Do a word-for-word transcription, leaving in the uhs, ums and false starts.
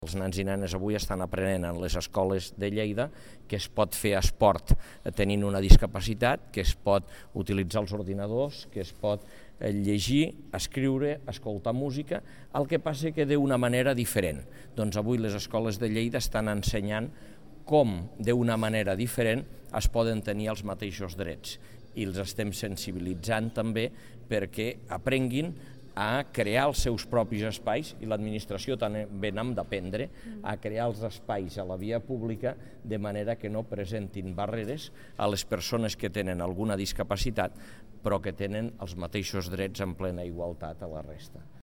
Els nens i nenes avui estan aprenent en les escoles de Lleida que es pot fer esport tenint una discapacitat, que es pot utilitzar els ordinadors, que es pot llegir, escriure, escoltar música, el que passa que d'una manera diferent. Doncs avui les escoles de Lleida estan ensenyant com d'una manera diferent es poden tenir els mateixos drets i els estem sensibilitzant també perquè aprenguin a crear els seus propis espais, i l'administració també n'hem d'aprendre a crear els espais a la via pública de manera que no presentin barreres a les persones que tenen alguna discapacitat però que tenen els mateixos drets en plena igualtat a la resta.